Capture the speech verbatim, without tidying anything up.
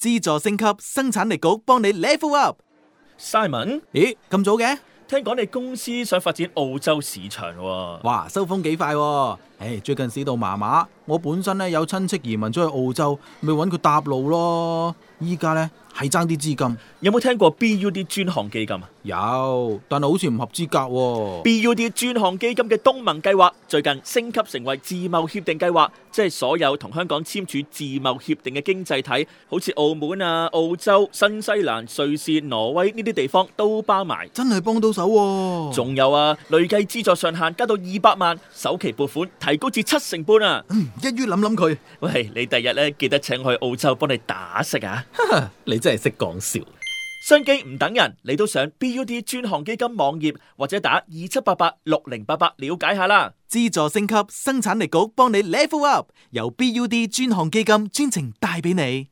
資助升級，生產力局幫你 level up。 Simon， 咦，咁早嘅？聽講你公司想發展澳洲市場喎。哇，收風幾快喎！唉，最近市道麻麻，我本身咧有親戚移民咗去澳洲，咪揾佢搭路咯。依家咧係爭啲資金。有冇聽過 B U D 專項基金啊？有，但係好似唔合資格喎。B U D 專項基金嘅東盟計劃最近升級成為自貿協定計劃，即係所有同香港簽署自貿協定嘅經濟體，好似澳門啊、澳洲、新西蘭、瑞士、挪威呢啲地方都包埋。真係幫到手喎。仲有啊，累計資助上限加到二百萬，首期撥款提高至七成半啊！嗯，一於諗諗佢。喂，你第日咧記得請我去澳洲幫你打食啊！你真係識講笑。商機唔等人，你都上 B U D 專項基金網頁或者打二七八八六零八八了解下啦。資助升級，生產力局幫你 level up，由 B U D 專項基金專程帶俾你。